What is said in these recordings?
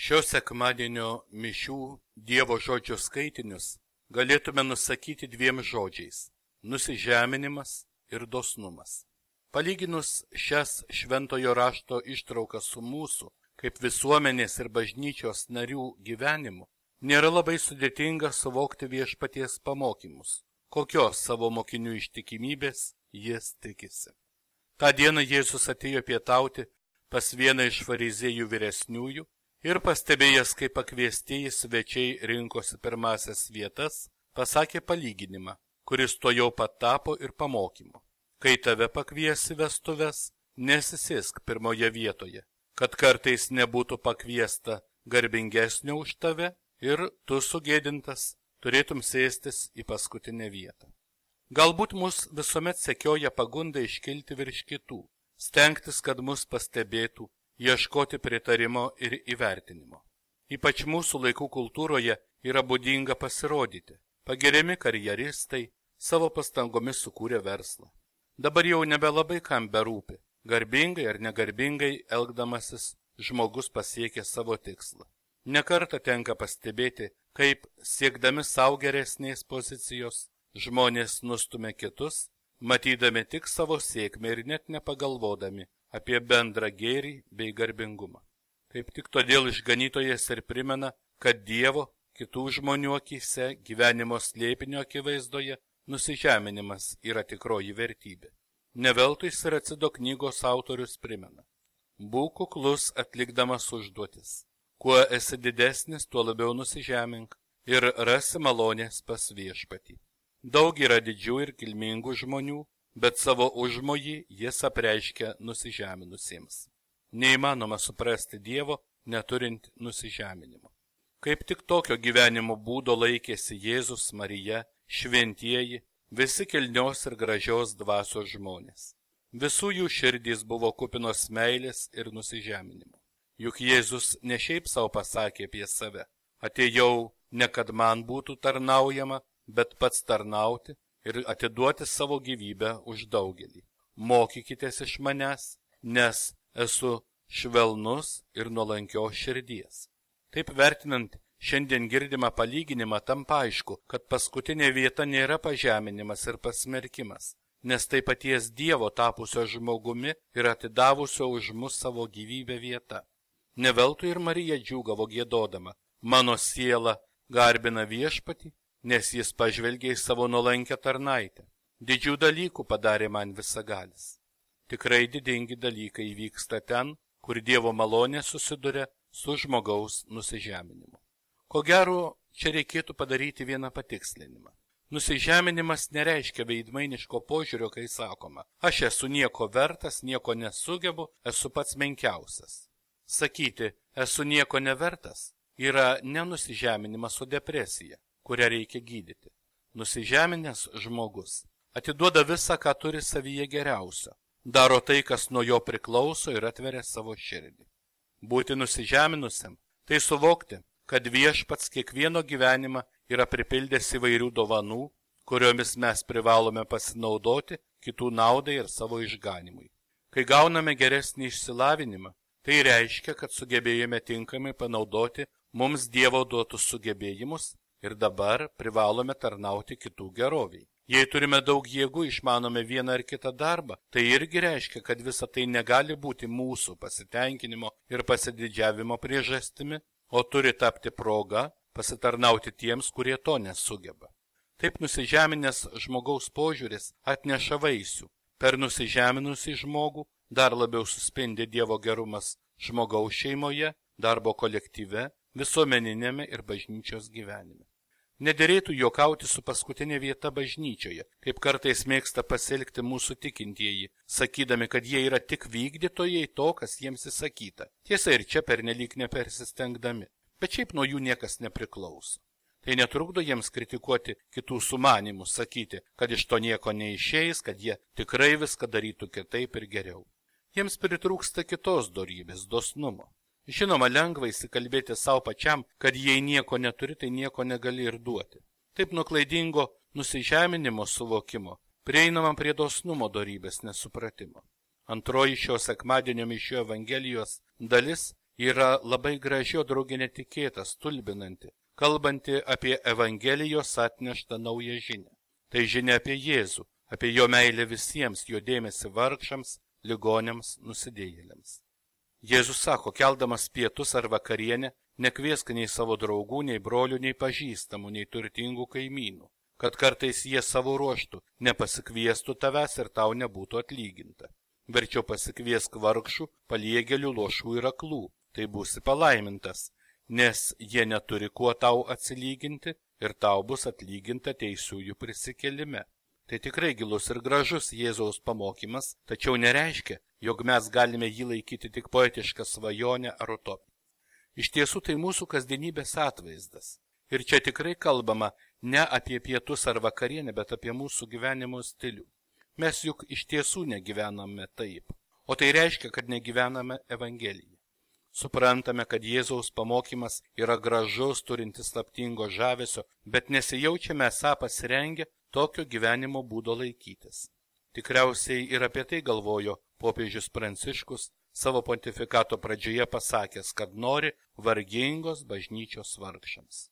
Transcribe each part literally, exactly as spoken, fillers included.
Šio sekmadienio mišių Dievo žodžio skaitinius galėtume nusakyti dviem žodžiais – nusižeminimas ir dosnumas. Palyginus šias šventojo rašto ištraukas su mūsų, kaip visuomenės ir bažnyčios narių gyvenimu, nėra labai sudėtinga suvokti viešpaties pamokymus, kokios savo mokinių ištikimybės jis tikisi. Ta diena Jėzus atėjo pietauti pas vieną iš fariziejų vyresniųjų ir pastebėjęs, kaip pakviestieji svečiai rinkosi pirmasias vietas, pasakė palyginimą, kuris tuojau pat tapo ir pamokymu. Kai tave pakviesi vestuves, nesisėsk pirmoje vietoje, kad kartais nebūtų pakviesta garbingesnio už tave ir tu sugėdintas turėtum sėstis į paskutinę vietą. Galbūt mus visuomet sekioja pagunda iškilti virš kitų, stengtis, kad mus pastebėtų, ieškoti pritarimo ir įvertinimo. Ypač mūsų laikų kultūroje yra būdinga pasirodyti. Pagiriami karjeristai savo pastangomis sukūrė verslą. Dabar jau nebelabai kam berūpi, garbingai ar negarbingai elgdamasis žmogus pasiekė savo tikslą. Nekartą tenka pastebėti, kaip siekdami savo geresnės pozicijos žmonės nustumia kitus, matydami tik savo sėkmę ir net nepagalvodami apie bendrą gėrį bei garbingumą. Kaip tik todėl išganytojas ir primena, kad Dievo, kitų žmonių akyse, gyvenimo slėpinio akivaizdoje, nusižeminimas yra tikroji vertybė. Neveltui Siracido knygos autorius primena: būk kuklus atlikdamas užduotis. Kuo esi didesnis, tuo labiau nusižemink ir rasi malonės pas viešpatį. Daug yra didžių ir kilmingų žmonių, bet savo užmojį jis apreiškia nusižeminusiems. Neįmanoma suprasti Dievo, neturint nusižeminimo. Kaip tik tokio gyvenimo būdo laikėsi Jėzus, Marija, šventieji, visi kilnios ir gražios dvasios žmonės. Visų jų širdys buvo kupinos meilės ir nusižeminimo. Juk Jėzus ne šiaip savo pasakė apie save: atėjau ne kad man būtų tarnaujama, bet pats tarnauti ir atiduoti savo gyvybę už daugelį. Mokykitės iš manęs, nes esu švelnus ir nuolankios širdies. Taip vertinant šiandien girdimą palyginimą, tampa aišku, kad paskutinė vieta nėra pažeminimas ir pasmerkimas, nes tai paties Dievo tapusio žmogumi ir atidavusio už mus savo gyvybę vieta. Neveltui ir Marija džiūgavo giedodama: mano siela garbina viešpatį, nes jis pažvelgė į savo nuolankę tarnaitę. Didžių dalykų padarė man visagalis. Tikrai didingi dalykai vyksta ten, kur Dievo malonė susiduria su žmogaus nusižeminimu. Ko gero, čia reikėtų padaryti vieną patikslinimą. Nusižeminimas nereiškia veidmainiško požiūrio, kai sakoma: aš esu nieko vertas, nieko nesugebu, esu pats menkiausias. Sakyti, esu nieko nevertas, yra ne nusižeminimas, o depresija, kurią reikia gydyti. Nusižeminęs žmogus atiduoda visą, ką turi savyje geriausio, daro tai, kas nuo jo priklauso ir atveria savo širdį. Būti nusižeminusiam – tai suvokti, kad viešpats kiekvieno gyvenimą yra pripildęs įvairių dovanų, kuriomis mes privalome pasinaudoti kitų naudai ir savo išganimui. Kai gauname geresnį išsilavinimą, tai reiškia, kad sugebėjome tinkamai panaudoti mums Dievo duotus sugebėjimus ir dabar privalome tarnauti kitų geroviai. Jei turime daug jėgų, išmanome vieną ar kitą darbą, tai irgi reiškia, kad visa tai negali būti mūsų pasitenkinimo ir pasididžiavimo priežastimi, o turi tapti proga pasitarnauti tiems, kurie to nesugeba. Taip nusižeminęs žmogaus požiūris atneša vaisių. Per nusižeminusį žmogų dar labiau suspindi Dievo gerumas žmogaus šeimoje, darbo kolektyve, visuomeninėme ir bažnyčios gyvenime. Nederėtų juokauti su paskutinė vieta bažnyčioje, kaip kartais mėgsta pasielgti mūsų tikintieji, sakydami, kad jie yra tik vykdytojai to, kas jiems įsakyta. Tiesa, ir čia pernelyg nepersistengdami, bet šiaip nuo jų niekas nepriklauso. Tai netrukdo jiems kritikuoti kitų sumanimų, sakyti, kad iš to nieko neišeis, kad jie tikrai viską darytų kitaip ir geriau. Jiems pritrūksta kitos dorybės, dosnumo. Žinoma, lengva įsikalbėti savo pačiam, kad jei nieko neturi, tai nieko negali ir duoti. Taip nuo klaidingo nusižeminimo suvokimo prieinama prie dosnumo dorybės nesupratimo. Antroji šio sekmadienio mišių Evangelijos dalis yra labai graži, o draugė netikėta, stulbinanti, kalbanti apie Evangelijos atneštą naują žinią. Tai žinia apie Jėzų, apie jo meilę visiems, jo dėmesį vargšams, ligoniams, nusidėjėliams. Jėzus sako, keldamas pietus ar vakarienę, nekviesk nei savo draugų, nei brolių, nei pažįstamų, nei turtingų kaimynų, kad kartais jie savo ruoštų nepasikviestų tavęs ir tau nebūtų atlyginta. Verčiau pasikviesk vargšų, paliegėlių, lošų ir aklų, tai būsi palaimintas, nes jie neturi kuo tau atsilyginti ir tau bus atlyginta teisiųjų prisikėlime. Tai tikrai gilus ir gražus Jėzaus pamokymas, tačiau nereiškia, jog mes galime jį laikyti tik poetišką svajonę ar utopiją. Iš tiesų tai mūsų kasdienybės atvaizdas. Ir čia tikrai kalbama ne apie pietus ar vakarienę, bet apie mūsų gyvenimo stilių. Mes juk iš tiesų negyvename taip, o tai reiškia, kad negyvename Evangeliją. Suprantame, kad Jėzaus pamokymas yra gražus, turintis slaptingo žavesio, bet nesijaučiame esą pasirengę tokio gyvenimo būdo laikytis. Tikriausiai ir apie tai galvojo popiežius Pranciškus savo pontifikato pradžioje pasakęs, kad nori vargingos bažnyčios vargšams.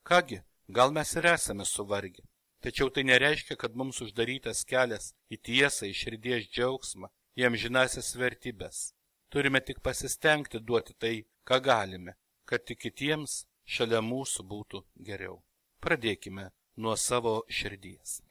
Kągi, gal mes ir esame suvargę, tačiau tai nereiškia, kad mums uždarytas kelias į tiesą, į širdies džiaugsmą, į amžinąsias vertybes. Turime tik pasistengti duoti tai, ką galime, kad tik kitiems šalia mūsų būtų geriau. Pradėkime nuo savo širdies.